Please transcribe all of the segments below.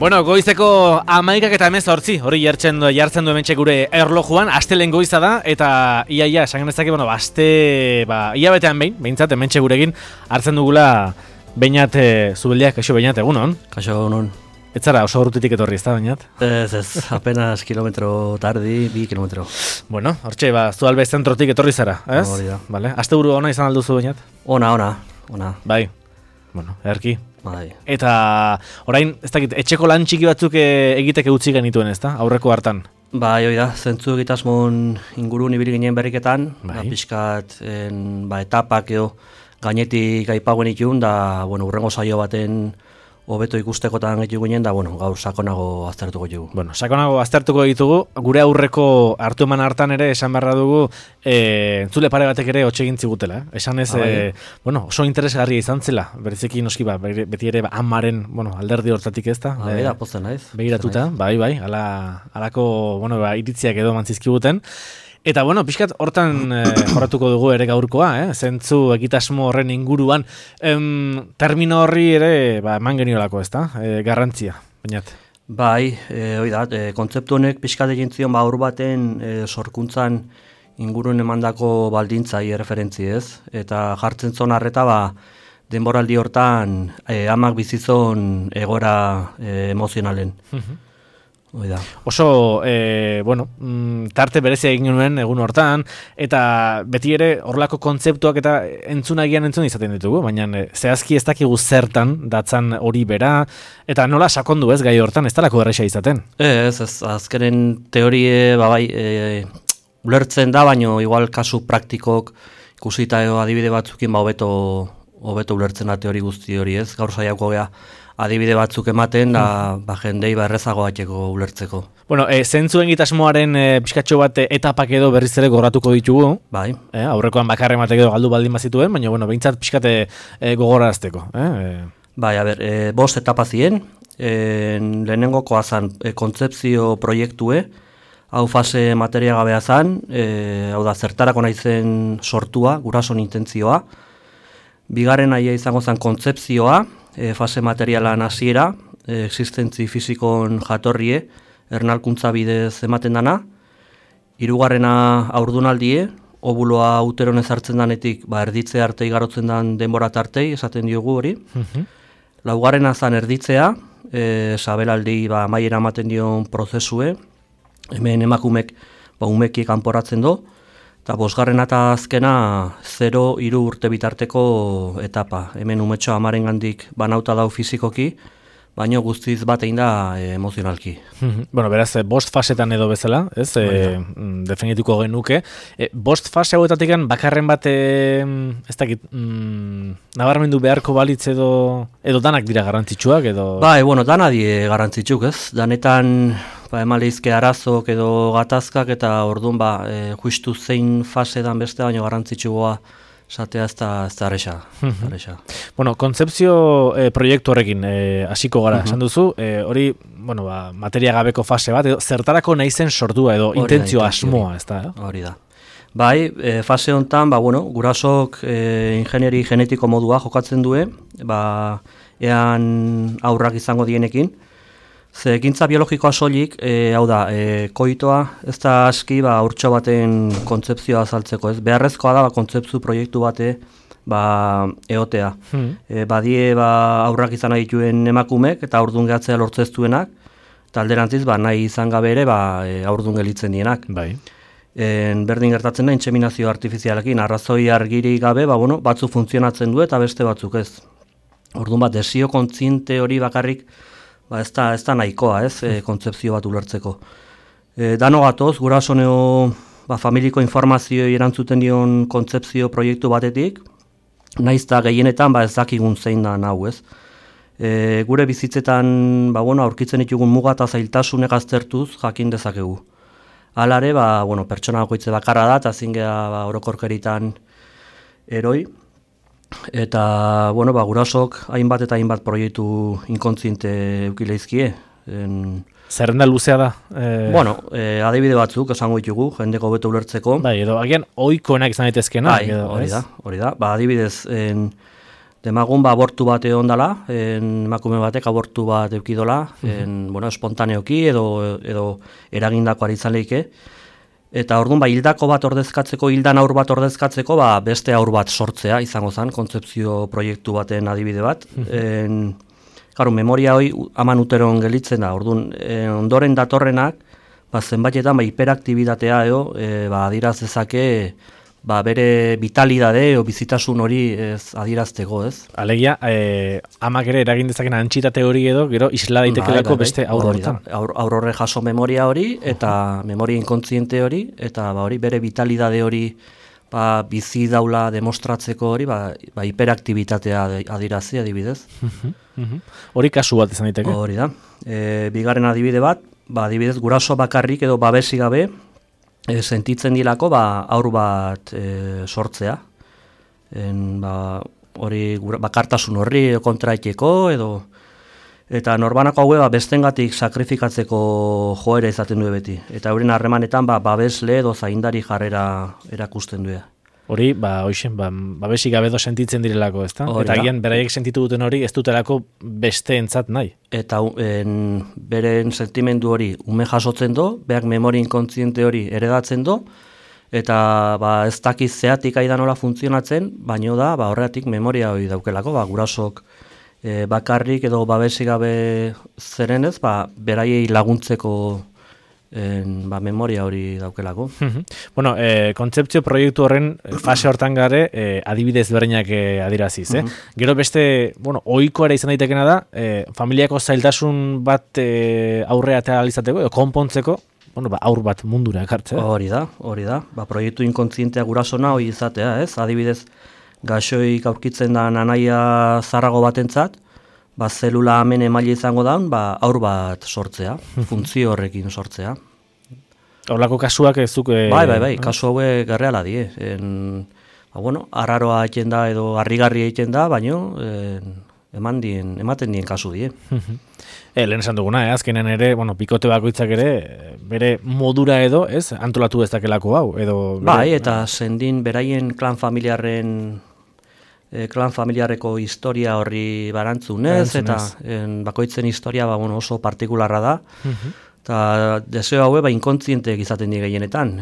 Bueno, goizeko 11:18 hori jartzen du hementxe gure erlojuan, astelen goiza da, eta iaia, esan genezake, hilabetean behintzat hementxe gurekin hartzen dugula Beñat Zubeldiak, kaixo Beñat, egunon? Kaixo egunon. Ez zara oso urrutitik etorri, ez da, Beñat? Ez, apenas kilometro tardi, 2 kilometro. Bueno, hortxe, Zualbe zentrotik etorri zara, ez? Hori da. Vale. Asteburu ona izan alduzu, Beñat? Ona. Bai, bueno, erki. Bai. Eta orain, ez dakit, etxeko lan txiki batzuk egiteke utzi genituen, ez da? Aurreko hartan. Bai, hori da, zentzu egitasmon ingurun ibili ginen berriketan, Bai. Pixkat etapak edo gainetik aipagoen itun, da, urrengo saio baten hobeto ikustekotan gitu ginen, da, gaur sakonago aztertuko dugu. Bueno, sakonago aztertuko ditugu, gure aurreko hartu eman hartan ere esan beharra dugu entzule pare batek ere hotxe egin zigutela. Esan ez, oso interesgarria izan zela, bereziki noski beti ere amaren alderdi hortatik ez da. Da, pozten naiz. Begiratuta, bai, halako iritziak edo mantzizkiguten. Eta, pixkat hortan jorratuko dugu ere gaurkoa, zentzu egitasmo horren inguruan, termino horri ere eman geniolako, ez da, garrantzia, Beñat. Bai, hori da, kontzeptu honek pixkat egin zion aur baten sorkuntzan ingurun emandako baldintzai referentzi ez, eta jartzen zon harreta denboraldi hortan amak bizizon egora emozionalen. Da. Oso, tarte berezia egin genuen egun hortan, eta beti ere horlako kontzeptuak eta entzun izaten ditugu, baina zehazki ez dakigu zertan datzan hori bera, eta nola sakondu ez gai hortan, ez talako erresa izaten? Ez, azkenen teorie, ulertzen da, baina igual kasu praktikok ikusita adibide batzukin hobeto ulertzen da teori guzti hori ez, gaur saiako gea. Adibide batzuk ematen, da jendei errezago bateko ulertzeko. Zentzuen egitasmoaren pixkatxo bat etapak edo berriz ere goratuko ditugu. Bai. Aurrekoan bakarren batek edo galdu baldin bazituen, baina behintzat pixkate gogorazteko. Bai, 5 etapa ziren, lehenengokoa zan kontzepzio proiektue, hau fase materia gabea zan, hau da zertarako naizen sortua, gurason intentzioa. Bigarren aia izango zan kontzepzioa, fase materialan hasiera, existentzi fizikon jatorrie, ernalkuntza bidez ematen dana. Hirugarrena haurdunaldie, obuloa uteron ezartzen danetik erditze arte igarotzen dan denbora tartei, esaten diogu hori. Laugarrena zan erditzea, sabelaldi amaiera ematen dion prozesue, hemen emakumek umekiek kanporatzen do, eta 5. eta azkena 0-3 urte bitarteko etapa. Hemen umetxo amaren gandik banauta dau fizikoki, baina guztiz bat egin da emozionalki. Beraz, 5 fasetan edo bezala, ez? Definituko genuke. 5 fase hauetatik bakarren bat, ez dakit, nabarmendu beharko balitz edo danak dira garrantzitsuak edo... Bai, dana die garrantzitsuk, ez? Danetan emaleizke arazok edo gatazkak eta orduan justu zein fasedan beste baino garrantzitsua esatea ez da arresa. Kontzepzio proiektu horrekin hasiko gara, esan duzu, hori, materia gabeko fase bat, edo zertarako nahi zen sortua edo intentzio asmoa, ez da? Hori da. Bai, fase honetan, gurasok ingenieri genetiko modua jokatzen due, ean aurrak izango dienekin. Ze ekintza biologikoa soilik, hau da, koitoa, ez da aski urtxo baten kontzepzioa azaltzeko, ez? Beharrezkoa da kontzeptu proiektu bate eotea. Badie aurrak izan nahi dituen emakumek eta aurdun gehatzea lortzeztuenak, eta alderantziz nahi izan gabe ere aurdun gelitzen dienak. Bai. Berdin gertatzen da intseminazio artifizialekin, arrazoi argiri gabe, batzu funtzionatzen du eta beste batzuk ez. Orduan desio kontziente hori bakarrik, ez da nahikoa, ez, kontzepzio bat ulertzeko. Dano gatoz, gurasoneo familiko informazioi erantzuten dion kontzepzio proiektu batetik, nahiz da gehienetan ez dakigun zein da nau, ez. Gure bizitzetan aurkitzen ditugun muga eta zailtasunek aztertuz jakin dezakegu. Halare, pertsona bakoitze bakarra da, eta zingea orokorkeritan eroi. Eta, gurasok hainbat eta hainbat proiektu inkontziente eukileizkie. Zerrenda luzea da? Adibide batzuk esango ditugu, jendeko beto ulertzeko. Bai, edo agian ohikoenak izan daitezkeena. Hori da. Adibidez, Demagun abortu bat egon dela, emakume batek abortu bat eukidola, bueno, espontaneoki edo eragindakoari izan lehike. Eta orduan, hildako bat ordezkatzeko, hildan aur bat ordezkatzeko, beste aur bat sortzea izango zen, kontzepzio proiektu baten adibide bat. Claro, memoria hori aman uteron gelitzen da, orduan, ondoren datorrenak, zenbaitetan hiperaktibitatea adiraz dezake, bere vitalidade o bizitasun hori adierazteko, ez? Alegia, amak ere eragin dezaken antxitate hori edo, gero isla daitekelako beste aur horretan. Aur horre jaso memoria hori, eta memoria inkontziente hori, eta hori bere vitalidade hori bizi daula demostratzeko hori, hiperaktibitatea adierazi adibidez. Hori kasu bat izan daiteke? Hori da. Bigarren adibide bat, adibidez guraso bakarrik edo babesi gabe, sentitzen dilako aur bat sortzea. Hori bakartasun horri kontraiteko edo eta norbanako haue bestengatik sakrifikatzeko joera izaten du beti. Eta euren harremanetan babesle edo zaindari jarrera erakusten du. Hori, babesik gabe edo sentitzen direlako, ezta? Eta agian beraiek sentitu duten hori ez dutelako besteentzat nahi. Eta beren sentimendu hori ume jasotzen do, beak memoria inkontziente hori eredatzen do, eta ez dakiz zeatik aidan nola funtzionatzen, baino da horregatik memoria hori daukelako, gurasok bakarrik edo babesik gabe zerenez, beraiei laguntzeko memoria hori daukelako. Bueno, kontzeptzio proiektu horren fase hortan gare adibidez berreinak adiraziz, Gero beste, ohikoa izan daitekena da, familiako zailtasun bat aurrea eta alizateko, edo konpontzeko, aur bat mundura ekartzea. Hori da. Proiektu inkontzientea gurasona hori izatea, ez? Adibidez, gaixoik aurkitzen da anaia zarrago batentzat, zelula hemen emaile izango daun, aur bat sortzea, funtzio horrekin sortzea. Horlako kasuak ez zuk... Bai, kasu haue garreala die. Arraroa egiten da edo harrigarria egiten da, baino ematen dien kasu die. Lehen esan duguna, azkenen ere, bikote bakoitzak ere, bere modura edo, ez, antolatu ez dakelako hau, edo... Bai, eta sendin beraien klan familiarreko historia horri barantzunez, eta bakoitzen historia oso partikularra da, eta deseo haue inkontzienteek izaten di gehienetan.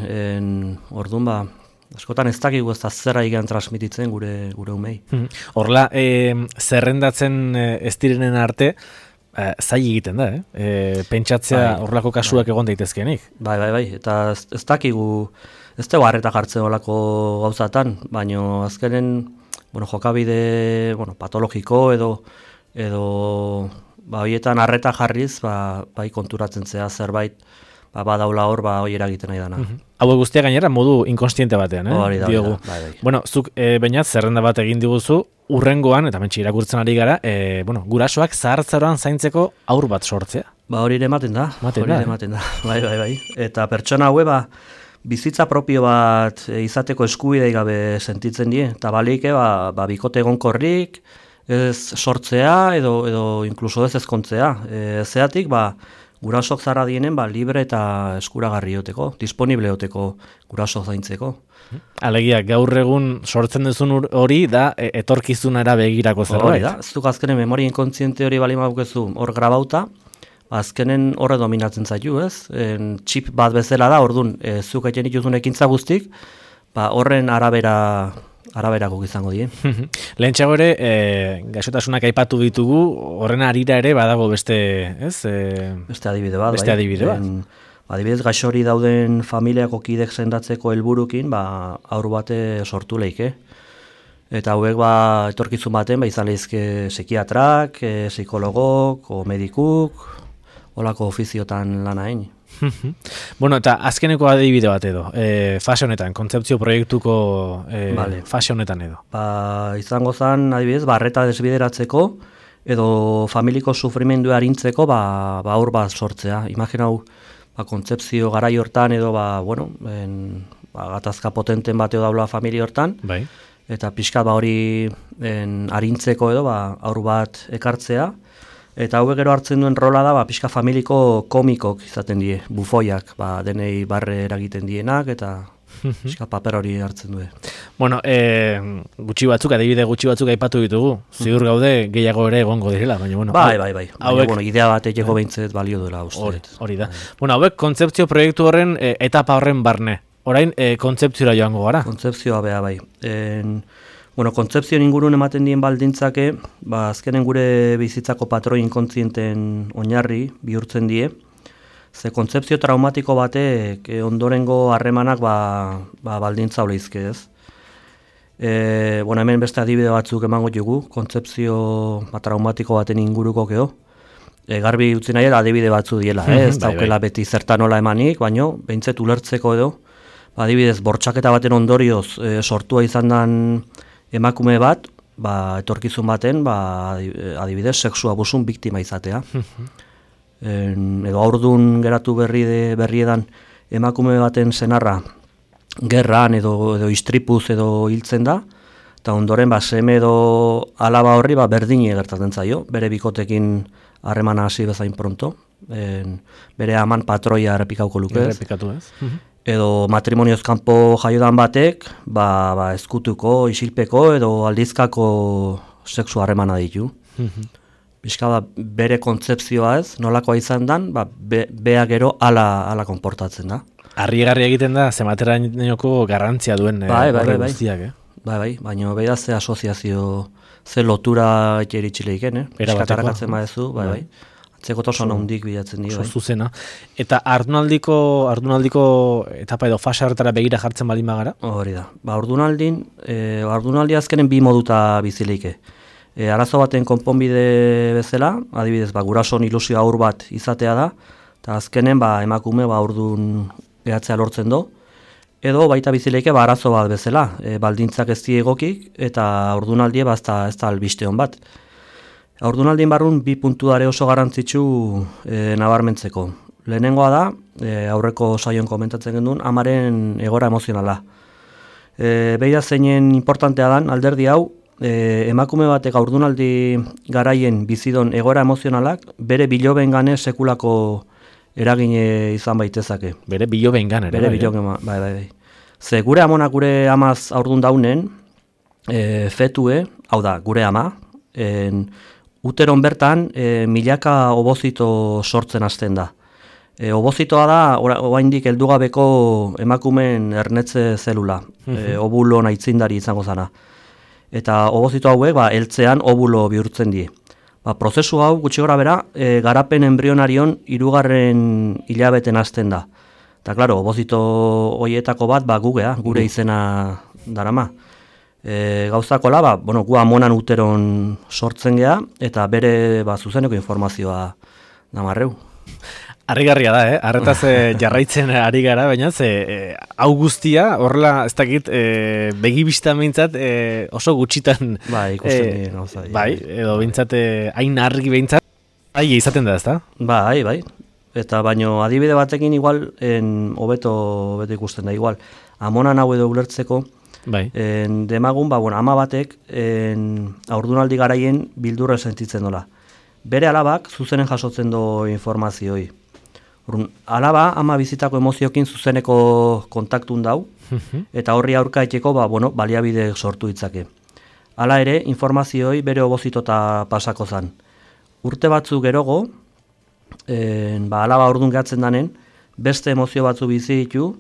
Orduan, askotan ez dakigu ez da zerra igan transmititzen gure umei. Horla, zerrendatzen ez direnen arte, zai egiten da, pentsatzea horlako kasuak egon daitezkenik. Bai, eta ez dakigu, ez dugu harreta jartzen horlako gauzatan, baino azkenen, jokabide patologiko edo horietan harreta jarriz, konturatzen zea zerbait, badaula hor, hori eragiten nahi dana. Hau guztia gainera modu inkonstiente batean, Hori da, Bueno, zuk bainat zerrenda bat egin diguzu, urrengoan, eta mentxe irakurtzen ari gara, gurasoak zahartzaroan zaintzeko aur bat sortzea. Hori ere ematen da. Bai. Eta pertsona haue, bizitza propio bat izateko eskubidei gabe sentitzen die, eta baleike, bikote egonkorrik, ez sortzea edo inkluso ez ezkontzea. Zeatik, gurasok zarra dienen, libre eta eskuragarri oteko, disponible oteko gurasok zaintzeko. Alegia, gaur egun sortzen duzun hori da etorkizunera begirako zerbait. Hori da, ez duk azkenen memoria inkontziente hori bali maukezu hor grabauta, azkenen horre dominatzen zaitu, ez? Txip bat bezala da, orduan, zuk egin dituzun ekintza guztik, horren araberako izango die. Lehentxago ere, gaixotasunak aipatu ditugu, horren arira ere badago beste, ez? Beste adibide bat. Adibidez, gaixori dauden familiako kidek sendatzeko helburukin, aur bate sortu leike. Eta hauek etorkizun baten, izan lehizke psikiatrak, psikologok, o medikuk, holako ofiziotan lana egin. Bueno, eta azkeneko adibide bat edo, fase honetan, kontzeptzio proiektuko fase honetan edo. Izango zen, adibidez, arreta desbideratzeko, edo familiko sufrimendua arintzeko, aur bat sortzea. Imaginau, kontzeptzio garai hortan edo, gatazka potenten bateo daula familia hortan, eta pixka hori arintzeko edo, aur bat ekartzea, eta hauek gero hartzen duen rola da, pixka familiko komikok izaten die, bufoiak, denei barre eragiten dienak, eta Pixka paper hori hartzen du. Bueno, adibide gutxi batzuk aipatu ditugu. Ziur gaude gehiago ere egongo direla, baina bueno. Bai. Baina, idea bat egeko behintzet balio duela uste. Hori da. Bueno, hauek kontzeptzio proiektu horren etapa horren barne. Orain kontzeptziora joango gara. Kontzeptzioa beha bai. Kontzeptzioen ingurun ematen dien baldintzake, azkenen gure bizitzako patroi inkontzienten oinarri bihurtzen die. Ze kontzeptzio traumatiko batek ondorengo harremanak baldintza oleizke, ez? Hemen beste adibide batzuk emango dugu, kontzeptzio traumatiko baten inguruko geho. Garbi utzi nahi adibide batzu diela, ez daukela beti zertan nola emanik, baino behintzet ulertzeko edo, adibidez, bortxaketa baten ondorioz sortua izan den emakume bat, etorkizun baten, adibidez, sexu abusun biktima izatea. Edo aurdun geratu berriedan emakume baten senarra gerran edo istripuz edo hiltzen da, eta ondoren seme edo alaba horri berdini gertatzen zaio, bere bikotekin harremana hasi bezain pronto, bere aman patroia errepikauko luke ez. Edo matrimonioz kanpo jaiodan batek, ezkutuko, isilpeko edo aldizkako sexu harremana ditu. Bizka bere kontzepzioa ez, nolakoa izan dan, bea gero ala konportatzen da. Arriegarria egiten da, zematerainoko garrantzia duen horre guztiak, baina beha ze asoziazio, ze lotura etxeritxileiken, eskatarakatzen badezu, Atzekotasun handik bilatzen dira. Zuzena. Eta ardunaldiko etapa edo fase hartara begira jartzen baldin bagara? Hori da. Ardunaldi azkenen bi moduta bizileike. Arazo baten konponbide bezala, adibidez, gurasoen ilusio aur bat izatea da, eta azkenen emakume aurdun gehatzea lortzen do, edo baita bizileike arazo bat bezala, baldintzak ez diegokik, eta ardunaldie ez da albiste hon bat. Aurdunaldien barrun bi puntu dare oso garrantzitsu nabarmentzeko. Lehenengoa da, aurreko saioan komentatzen genduen, amaren egora emozionala. Beida zeinen importantea dan, alderdi hau, emakume batek aurdunaldi garaien bizidon egora emozionalak, bere biloben gane sekulako eragine izan baitezake. Bere biloben gane, bai. Ze gure amonak gure amaz aurdun daunen, fetue, hau da, gure ama, uteron bertan milaka obozito sortzen hasten da. Obozitoa da oraindik heldugabeko emakumeen ernetze zelula, obulo aitzindari izango zana. Eta obozito hauek heltzean obulo bihurtzen die. Prozesu hau gutxi gora bera garapen embrionarion 3. hilabeten hasten da. Eta klaro, obozito hoietako bat gure izena darama. Gauzakola, gu amonan uteron sortzen gea, eta bere zuzeneko informazioa damarreu. Harrigarria da, arretaz jarraitzen ari gara, baina hau guztia, horrela, ez dakit, begibista behintzat oso gutxitan. Ikusten dien gauza. Edo behintzat, hain argi behintzat, izaten da, ez da? Bai. Eta baino adibide batekin igual, hobeto ikusten da, igual, amonan hau edo ulertzeko, demagun, ama batek aurdunaldi garaien bildurra sentitzen dola. Bere alabak zuzenen jasotzen do informazioi. Alaba ama bizitako emoziokin zuzeneko kontaktun dau, eta horri aurka etxeko baliabide sortu ditzake. Hala ere, informazioi bere obozitota pasako zan. Urte batzu gerogo, alaba ordun gehatzen danen, beste emozio batzu bizi ditu,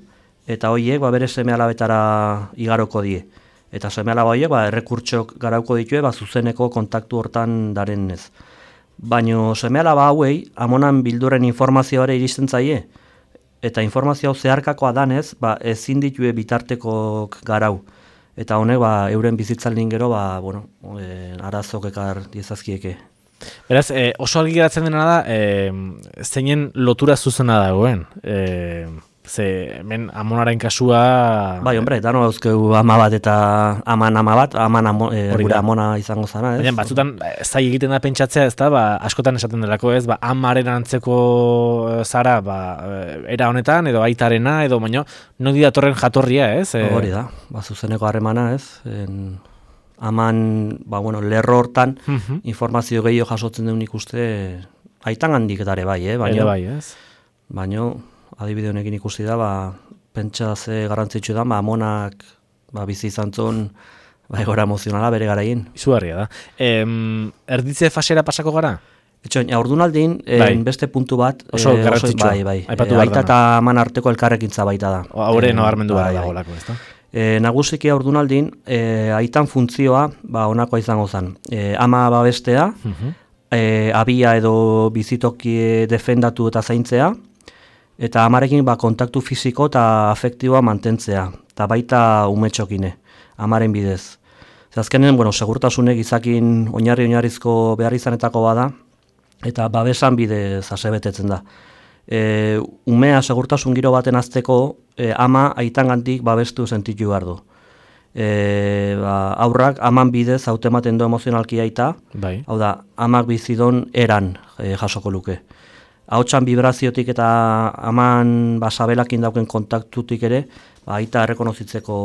eta horiek bere seme alabetara igaroko die. Eta seme alaba horiek errekurtsok garauko ditue zuzeneko kontaktu hortan daren ez. Baina seme alaba hauei amonan bildurren informazioare iristen zaie. Eta informazio zeharkakoa danez, ezin ditue bitartekok garau. Eta honek euren bizitzaldin gero arazok ekar diezazkieke. Beraz, oso argi geratzen dena da, zeinen lotura zuzena dagoen. Hemen amonaren kasua... dano dauzkegu ama bat eta aman ama bat, gure amona izango zana, ez? Baina, batzutan, zai egiten da pentsatzea, ez da, askotan esaten delako, ez, amaren antzeko zara, era honetan, edo aitarena, edo baino, nodi datorren jatorria, ez? Hori da, zuzeneko harremana, ez? Aman, lerro hortan, informazio gehiago jasotzen duen ikuste, aitan handik dare bai, bai, ez? Baina, adibide honekin ikusi da, pentsa ze garrantzitsu da, amonak bizi izan zuen egoera emozionala bere garaien. Izugarria da. Erditze fasera pasako gara? Etxoin, ordunaldin, beste puntu bat, oso garrantzitsua. Bai. Aita eta aman arteko elkarrekintza baita da. Haure nabarmendu gara dagolako, ez da? Nagusiki ordunaldin, aitan funtzioa, honakoa izango zen. Ama babestea, abia edo bizitoki defendatu eta zaintzea, eta amarekin kontaktu fisiko eta afektiboa mantentzea, eta baita umetxokine, amaren bidez. Azkenen, segurtasunek izakin oinarrizko behar izanetako bada, eta babesan bidez asebetetzen da. Umea segurtasun giro baten azteko, ama aitangandik babestu sentitu behar du. Aurrak aman bidez hautematen du emozionalki aita, hau da, amak bizidon eran jasoko luke. Ahotsan vibraziotik eta aman sabelakin dauken kontaktutik ere, aita errekonozitzeko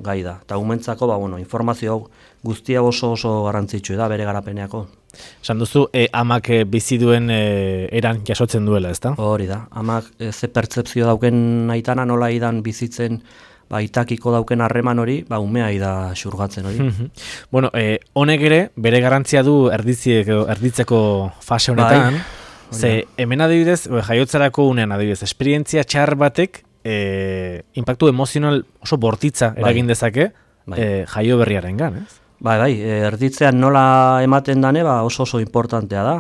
gai da. Eta umentzako, informazio guztia oso garrantzitsu da bere garapeneako. Esan duzu, amak bizi duen eran jasotzen duela, ezta? Hori da, amak ze pertzepzio dauken aitana nola idan bizitzen itakiko dauken harreman hori, umea ida xurgatzen hori. Honek ere, bere garrantzia du erditzeko fase honetan, ze hemen adibidez, jaiotzarako unean adibidez, esperientzia txar batek impactu emozional oso bortitza eragin dezake jaio berriaren gan, ez? Erditzean nola ematen dane oso importantea da.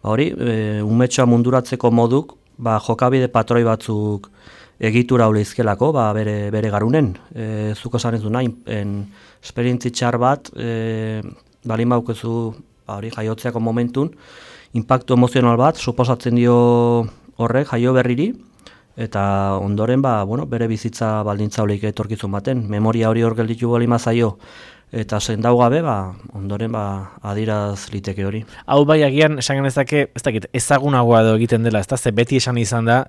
Hori, umetxoa munduratzeko moduk, jokabide patroi batzuk egitura hau leizkelako, bere garunen. Zuko esan ez du nahi, esperientzi txar bat, balin baukezu jaiotzeako momentun, impactu emozional bat, suposatzen dio horrek jaio berriri, eta ondoren bere bizitza baldintza holik etorkizun baten, memoria hori hor gelditu bali mazaio, eta sendau gabe, ondoren adiraz liteke hori. Hau agian, esan genezake, ez dakit, ezagunagoa edo egiten dela, ez da, ze beti esan izan da,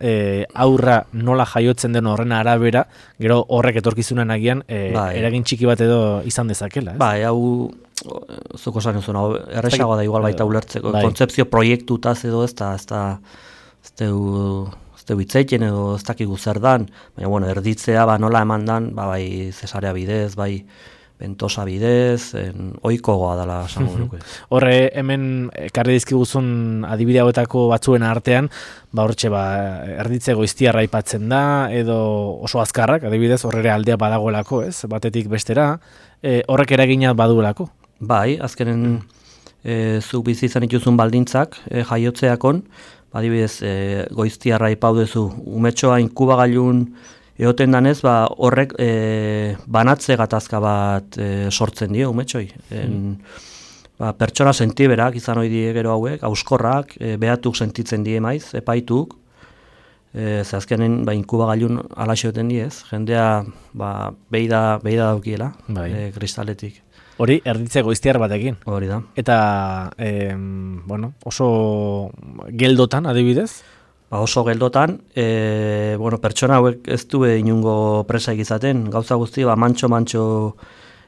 aurra nola jaiotzen den horren arabera, gero horrek etorkizunen agian, eragin txiki bat edo izan dezakela, ez? Hau, zuko esan ezuna, erresagoa da igual baita ulertzeko, kontzepzio proiektutaz edo ez du hitzeiten edo ez dakigu zer dan, baina erditzea nola eman dan, bai zesarea bidez, bai bentosa bidez, ohikoa dela esango nuke. Horre, hemen ekarri dizkiguzun adibide hauetako batzuen artean, hortxe erditze goiztiarra aipatzen da, edo oso azkarrak, adibidez, horre aldea badagoelako, ez? Batetik bestera, horrek eragina baduelako. Bai, azkenen zuk bizi izan ituzun baldintzak jaiotzeakon, adibidez, goiztiarra aipaudezu, umetxoa inkubagailun egoten danez, horrek banatze gatazka bat sortzen dio umetxoi. Pertsona sentiberak izan hori die gero hauek, auskorrak, behatuk sentitzen die maiz, epaituk, azkenen inkubagailun alaxe egoten diez, jendea beida daukiela, kristaletik. Hori, erditze goiztiar batekin. Hori da. Eta, oso geldotan, adibidez? Oso geldotan, pertsona hauek ez du inungo presaik izaten, gauza guzti, mantxo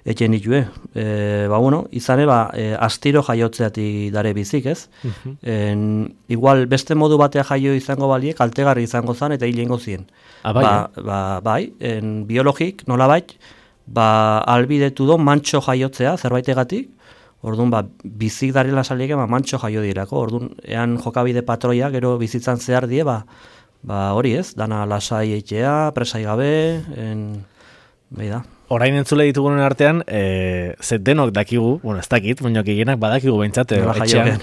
eken ditue. Izane, astiro jaiotzeati dare bizik, ez? Igual, beste modu batea jaio izango baliek, kaltegarri izango zan eta hilengo zien. Biologik, nolabait, albidetu do mantxo jaiotzea, zerbaitegatik, orduan, bizik darela salieke, mantxo jaio dirako. Orduan, ean jokabide patroia, gero bizitzan zehar die, hori ez, dana lasai eitea, presai gabe, behi da. Orain entzule ditugunen artean, denok dakigu, ez dakit, baina gehienak badakigu behintzat, etxean,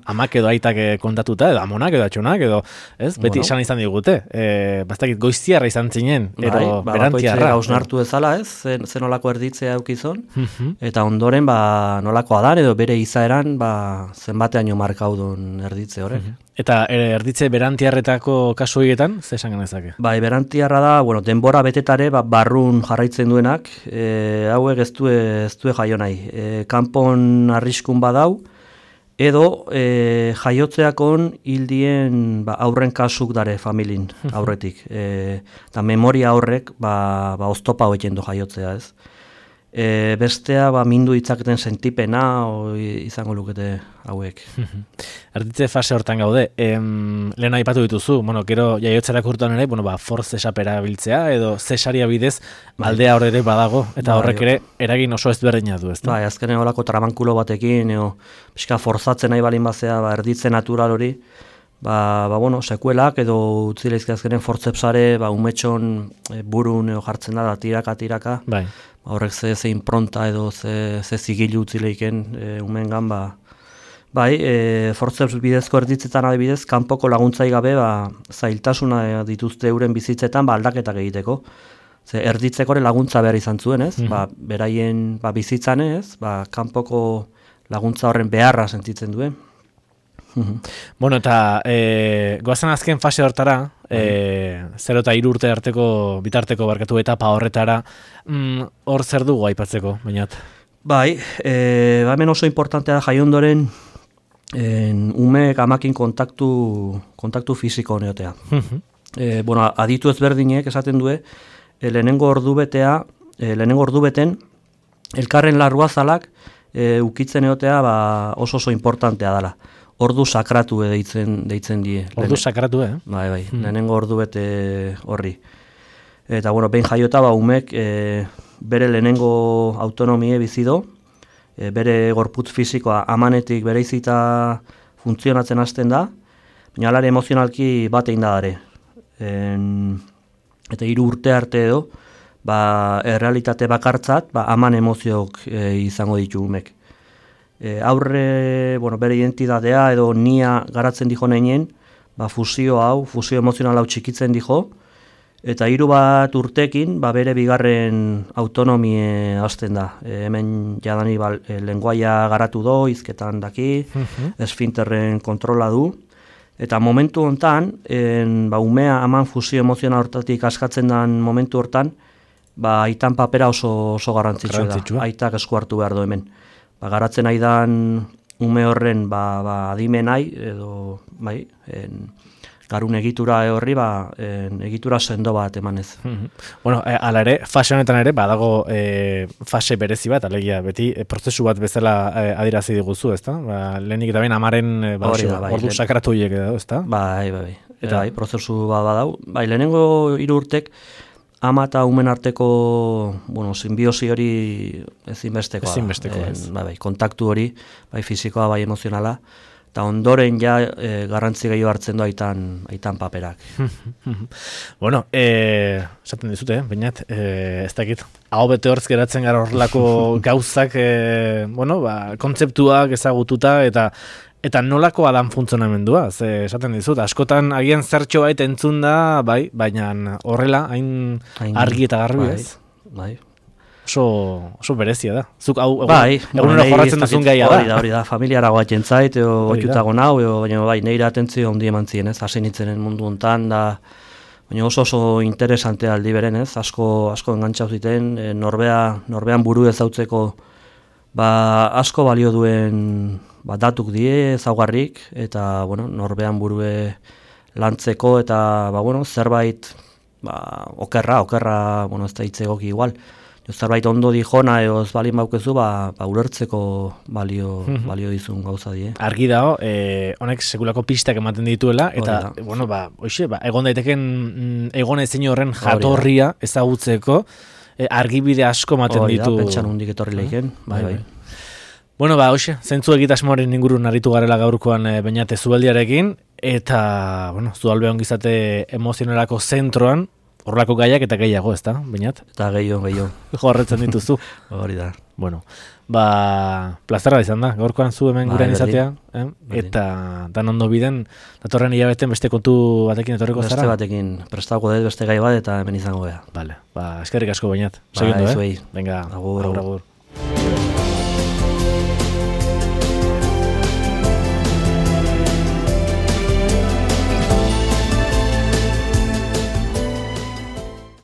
amak edo aitak kontatuta, edo amonak edo atxonak, edo, ez, beti esan izan digute, ez dakit, goiztiarra izan zinen, edo berantiarra. Gausnartu ezala, ez, zenolako erditzea eukizon, eta ondoren, nolakoa dan, edo bere izaeran, zenbateaino markaudun erditze horrek. Eta erditze berantiarretako kasu horietan, ze esan genezake? Berantiarra da, denbora betetare, barrun jarraitzen duenak, hauek ez du jaio nahi. Kanpon arriskun badau, edo jaiotzeakon hildien aurren kasuk dare familin aurretik. Eta memoria horrek oztopa hoetzen du jaiotzea, ez? Bestea mindu ditzaketen sentipena izango lukete hauek. erditze fase hortan gaude. Lehen aipatu dituzu, bueno, gero jaiotzerako urtean ere, bueno, force esapera biltzea, edo zesaria bidez aldea hor ere badago, eta horrek ere eragin oso ezberdina du, ezta? Bai, azkenen holako tramankulo batekin, pixka forzatzen nahi balin bazea, erditze natural hori, bueno, sekuelak edo utzileizki azkenen fortzepsare, umetxon burun jartzen da tiraka, bai. Horrek ze impronta edo ze zigilu utzileiken umengan, bai, fortzeps bidezko erditzetan adibidez, kanpoko laguntzai gabe, zailtasuna dituzte euren bizitzetan, aldaketak egiteko. Ze erditzeko laguntza behar izan zuen, ez? Beraien bizitzan ez, kanpoko laguntza horren beharra sentitzen duen. Bueno, eta goazen azken fase hortara, 0 eta 3 urte bitarteko barkatu etapa horretara, hor zer dugu aipatzeko, bainat? Bai, hemen oso importantea da jaiondoren umeek amakin kontaktu fisiko neotea. Bueno, aditu ezberdinek esaten du, lehenengo ordubeten elkarren larruazalak ukitzen egotea oso importantea dela. Ordu sakratu deitzen die. Ordu sakratu, Bai, lehenengo ordubete horri. Eta, bueno, behin jaiota umek bere lehenengo autonomie bizido, bere gorputz fisikoa amanetik bereizita funtzionatzen hasten da, baina alare emozionalki batein da dare. Eta 3 urte arte edo, errealitate bakartzat, aman emozioak izango ditu umek. Aurre, bueno, bere identitatea edo nia garatzen dijo neinen, fusio emozional hau txikitzen dijo, eta 3 urtekin bere bigarren autonomie hasten da. Hemen jadani lenguaia garatu do, hizketan daki, esfinterren kontrola du, eta momentu hontan, umea aman fusio emozional hortatik askatzen den momentu hortan, aitan papera oso garrantzitsua da. Aitak esku hartu behar du hemen. Garatzen aidan ume horren adimenai edo garun egitura horri egitura sendo bat emanez. Bueno, ala ere, fase honetan ere badago fase berezi bat, alegia beti prozesu bat bezala adierazi diguzu, ezta? Lehenik eta behin amaren ordu sakratu hiek edo, ezta? Bai. Eta prozesu bat badau. Lehenengo 3 urtek ama eta umen arteko, simbiosi hori ezinbestekoa. Kontaktu hori, fisikoa, emozionala, eta ondoren garrantzi gehiago hartzen du aitan paperak. Bueno, esaten dizute, bainat, ez dakit, hau bete hortz geratzen gara horrelako gauzak, kontzeptuak ezagututa, eta nolakoa dan funtzionamendua, esaten dizut, askotan agian zertxo bait entzun da, baina horrela, hain argi eta garbi ez? Bai. Oso berezia da. Zuk egunero jorratzen duzun gaia da. Hori da, familiara guatzen zait, oitutago nau, baina neire atentzio ondi eman ziren, ez? Hasi nintzen mundu hontan, baina oso interesante aldi beren, ez? Asko engantzau ziten, norbean buru ezautzeko asko balio duen datuk die ezaugarrik, eta norbean burue lantzeko, eta zerbait okerra, ez da hitzegoki igual. Zerbait ondo dijona edo ez balin baukezu, ulertzeko balio dizun gauza die. Argi dago, honek sekulako pistak ematen dituela, eta, egon daiteken egon ezin horren jatorria ezagutzeko, argibide asko ematen ditu. Pentsan hundik etorri leiken. Bai. Bueno, zentzu egitasmoaren ingurun aritu garela gaurkoan Beñat Zubeldiarekin, eta, Zualbe ongizate emozionalako zentroan, horrelako gaiak eta gehiago, ezta, Beñat? Eta gehiago. Jorretzen dituzu. Hori da. Bueno, plazerra izan da, gaurkoan zu hemen gurean izatea, eta dan ondo biden, datorren hilabeten beste kontu batekin etorriko zara? Beste batekin, prestauko dut beste gai bat eta hemen izango gea. Vale, eskerrik asko Beñat. Segundu, zuei. Venga, agur.